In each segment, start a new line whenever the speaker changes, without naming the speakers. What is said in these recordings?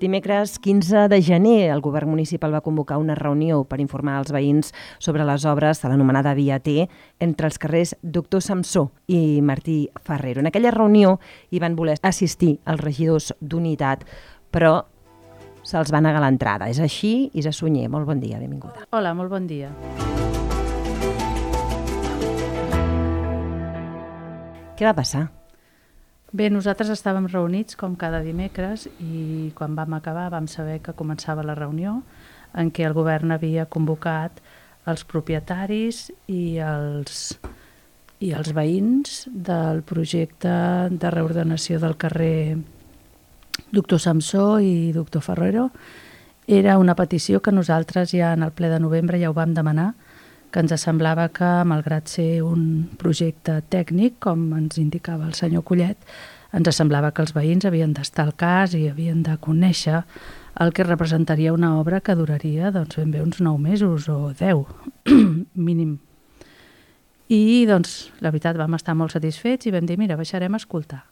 Dimecres 15 de gener el govern municipal va convocar una reunió per informar als veïns sobre les obres de l'anomenada Via T entre els carrers Doctor Samsó i Martí Ferrero. En aquella reunió hi van voler assistir els regidors d'Unitat, però se'ls va negar l'entrada. És així, Isa Sunyer, molt bon dia, benvinguda.
Hola, molt bon dia.
Què va passar?
Bé, nosaltres estàvem reunits com cada dimecres i quan vam acabar vam saber que començava la reunió en què el govern havia convocat els propietaris i els veïns del projecte de reordenació del carrer Doctor Samsó i Doctor Ferrero. Era una petició que nosaltres ja en el ple de novembre ja ho vam demanar, que ens semblava que, malgrat ser un projecte tècnic, com ens indicava el senyor Collet, ens semblava que els veïns havien d'estar al cas i havien de conèixer el que representaria una obra que duraria doncs, ben bé uns 9 mesos o 10, mínim. I doncs, la veritat, vam estar molt satisfets i vam dir, mira, baixarem a escoltar.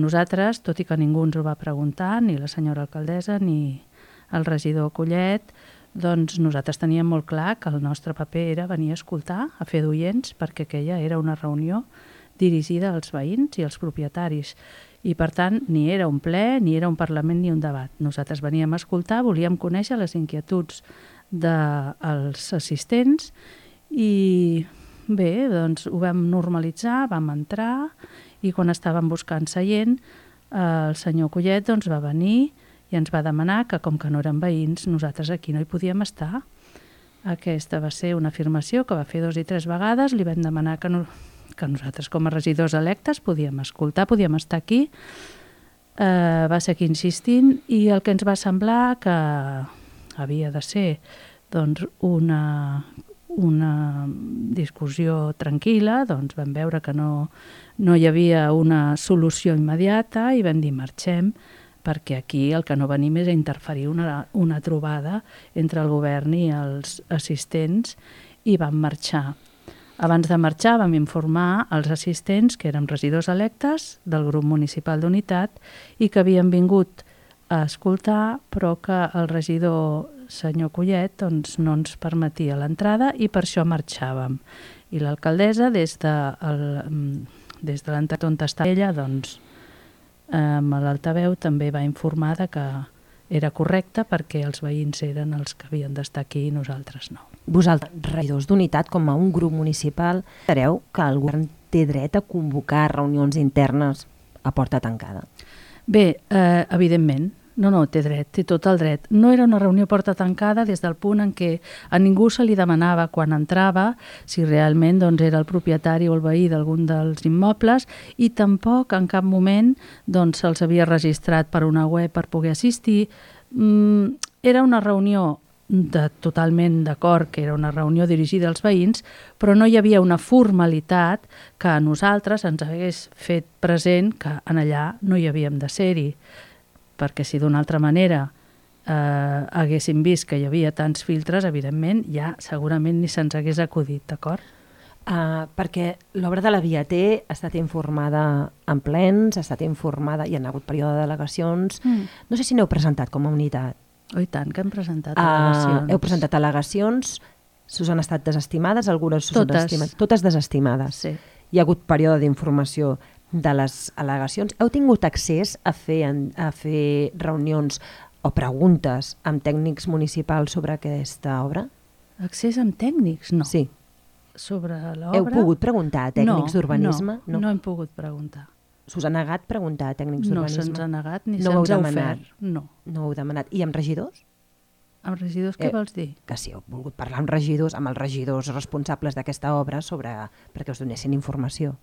Nosaltres, tot i que ningú ens ho va preguntar, ni la senyora alcaldessa ni el regidor Collet, doncs nosaltres teníem molt clar que el nostre paper era venir a escoltar, a fer d'oients, perquè aquella era una reunió dirigida als veïns i als propietaris. I, per tant, ni era un ple, ni era un parlament, ni un debat. Nosaltres veníem a escoltar, volíem conèixer les inquietuds dels assistents i, bé, doncs ho vam normalitzar, vam entrar i quan estàvem buscant seient, el senyor Collet doncs, va venir i ens va demanar que, com que no eren veïns, nosaltres aquí no hi podíem estar. Aquesta va ser una afirmació que va fer 2 i 3 vegades. Li vam demanar que nosaltres, com a regidors electes, podíem escoltar, podíem estar aquí. Va seguir insistint i el que ens va semblar que havia de ser doncs, una discussió tranquil·la, doncs vam veure que no hi havia una solució immediata i vam dir marxem, perquè aquí el que no venim és a interferir una trobada entre el govern i els assistents i vam marxar. Abans de marxar vam informar els assistents que érem regidors electes del grup municipal d'Unitat i que havien vingut a escoltar però que el regidor senyor Collet doncs, no ens permetia l'entrada i per això marxàvem. I l'alcaldessa des de l'entrada on està ella doncs, amb l'altaveu també va informar que era correcte perquè els veïns eren els que havien d'estar aquí i nosaltres no.
Vosaltres, regidors d'Unitat, com a un grup municipal, sabeu que el govern té dret a convocar reunions internes a porta tancada?
Bé, evidentment. No, té dret, té tot el dret. No era una reunió a porta tancada des del punt en què a ningú se li demanava quan entrava si realment doncs, era el propietari o el veí d'algun dels immobles i tampoc en cap moment doncs, se'ls havia registrat per una web per poder assistir. Era una reunió totalment d'acord que era una reunió dirigida als veïns, però no hi havia una formalitat que a nosaltres ens hagués fet present que en allà no hi havíem de ser-hi. Perquè si d'una altra manera haguéssim vist que hi havia tants filtres, evidentment, ja segurament ni se'ns hagués acudit, d'acord?
Perquè l'obra de la Via T ha estat informada en plens, ha estat informada, hi ha hagut període de delegacions. No sé si n'heu presentat com a unitat.
Oh, i tant, que hem presentat al·legacions.
Heu presentat al·legacions, us han estat desestimades, algunes
Totes.
Totes desestimades.
Sí.
Hi ha hagut període d'informació de les al·legacions. Heu tingut accés a fer reunions o preguntes amb tècnics municipals sobre aquesta obra?
Accés amb tècnics? No.
Sí.
Sobre l'obra?
Heu pogut preguntar a tècnics d'urbanisme?
No hem pogut preguntar.
S'us ha negat preguntar a tècnics d'urbanisme?
No se'ns ha negat ni se'ns ha ofert. No
ho heu demanat. I amb regidors?
Amb regidors què vols dir?
Que si heu volgut parlar amb regidors, amb els regidors responsables d'aquesta obra perquè us donessin informació.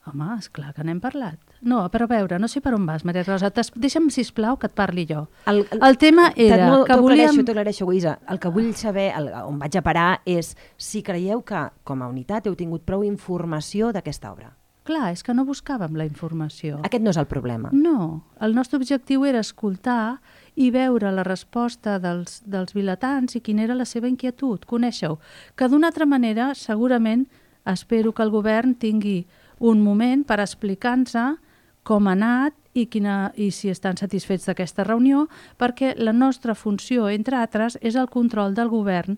Home, esclar que n'hem parlat. No, però a veure, no sé per on vas, Maria Rosa. Deixa'm, sisplau, que et parli jo. El tema era que volíem...
T'ho aclareixo, Guisa. El que vull saber, on vaig a parar, és si creieu que, com a unitat, heu tingut prou informació d'aquesta obra.
Clar, és que no buscàvem la informació.
Aquest no és el problema.
No, el nostre objectiu era escoltar i veure la resposta dels vilatans i quina era la seva inquietud, conèixer-ho. Que d'una altra manera, segurament, espero que el govern tingui un moment per explicar-nos com ha anat i si estan satisfets d'aquesta reunió, perquè la nostra funció, entre altres, és el control del govern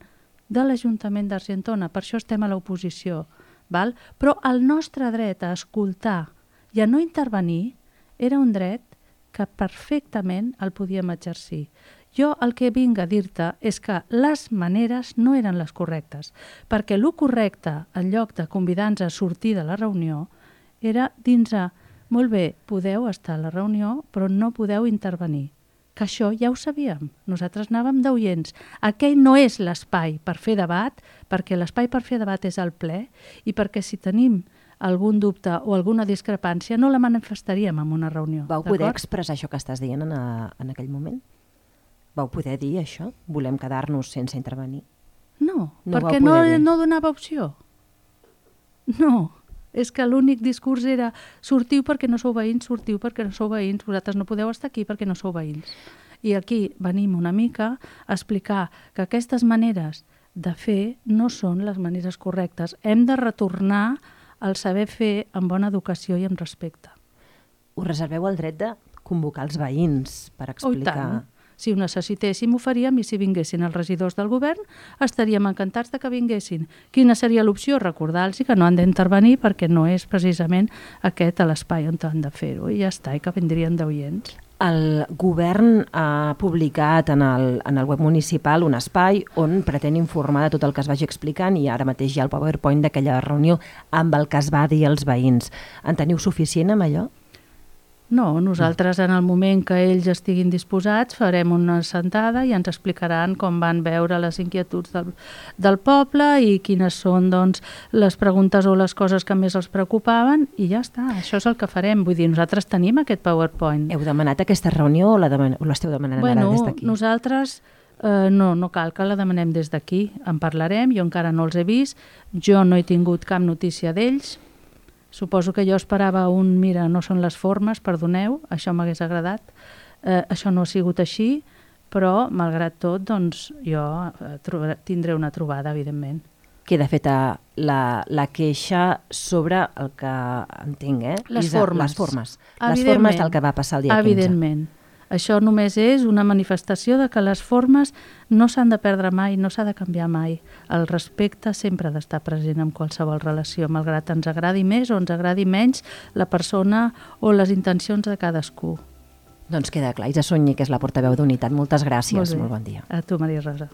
de l'Ajuntament d'Argentona. Per això estem a l'oposició. Però el nostre dret a escoltar i a no intervenir era un dret que perfectament el podíem exercir. Jo el que vinc a dir-te és que les maneres no eren les correctes, perquè el correcte, en lloc de convidar-nos a sortir de la reunió, era dir-nos: molt bé, podeu estar a la reunió, però no podeu intervenir. Que això ja ho sabíem. Nosaltres anàvem d'oients. Aquell no és l'espai per fer debat, perquè l'espai per fer debat és el ple, i perquè si tenim algun dubte o alguna discrepància no la manifestaríem en una reunió.
Vau poder expressar això que estàs dient en aquell moment? Vau poder dir això? Volem quedar-nos sense intervenir?
No, perquè no donava opció. No, és que l'únic discurs era: sortiu perquè no sou veïns, sortiu perquè no sou veïns, vosaltres no podeu estar aquí perquè no sou veïns. I aquí venim una mica a explicar que aquestes maneres de fer no són les maneres correctes. Hem de retornar al saber fer amb bona educació i amb respecte.
Us reserveu el dret de convocar els veïns per explicar...
Oh, tant. Si ho necessitéssim, ho faríem, i si vinguessin els regidors del govern, estaríem encantats de que vinguessin. Quina seria l'opció? Recordar-los que no han d'intervenir perquè no és precisament aquest l'espai on han de fer-ho, i ja està, i que vindrien d'oients.
El govern ha publicat en el web municipal un espai on pretén informar de tot el que es vagi explicant, i ara mateix hi ha el PowerPoint d'aquella reunió amb el que es va dir als veïns. En teniu suficient amb allò?
No, nosaltres en el moment que ells estiguin disposats farem una sentada i ens explicaran com van veure les inquietuds del poble i quines són les preguntes o les coses que més els preocupaven, i ja està, això és el que farem. Vull dir, nosaltres tenim aquest PowerPoint.
Heu demanat aquesta reunió o l'esteu demanant ara des d'aquí?
Nosaltres no cal que la demanem des d'aquí, en parlarem, jo encara no els he vist, jo no he tingut cap notícia d'ells. Suposo que jo esperava mira, no són les formes, perdoneu, això m'hagués agradat. Això no ha sigut així, però, malgrat tot, jo tindré una trobada, evidentment.
Queda feta la queixa sobre el que entenc,
Les formes.
Les formes del que va passar el dia 15.
Evidentment. Això només és una manifestació de que les formes no s'han de perdre mai, no s'ha de canviar mai. El respecte sempre ha d'estar present en qualsevol relació, malgrat ens agradi més o ens agradi menys la persona o les intencions de cadascú.
Doncs queda clar. Isa Sunyer, que és la portaveu d'Unitat, moltes gràcies. Molt bon dia.
A tu, Maria Rosa.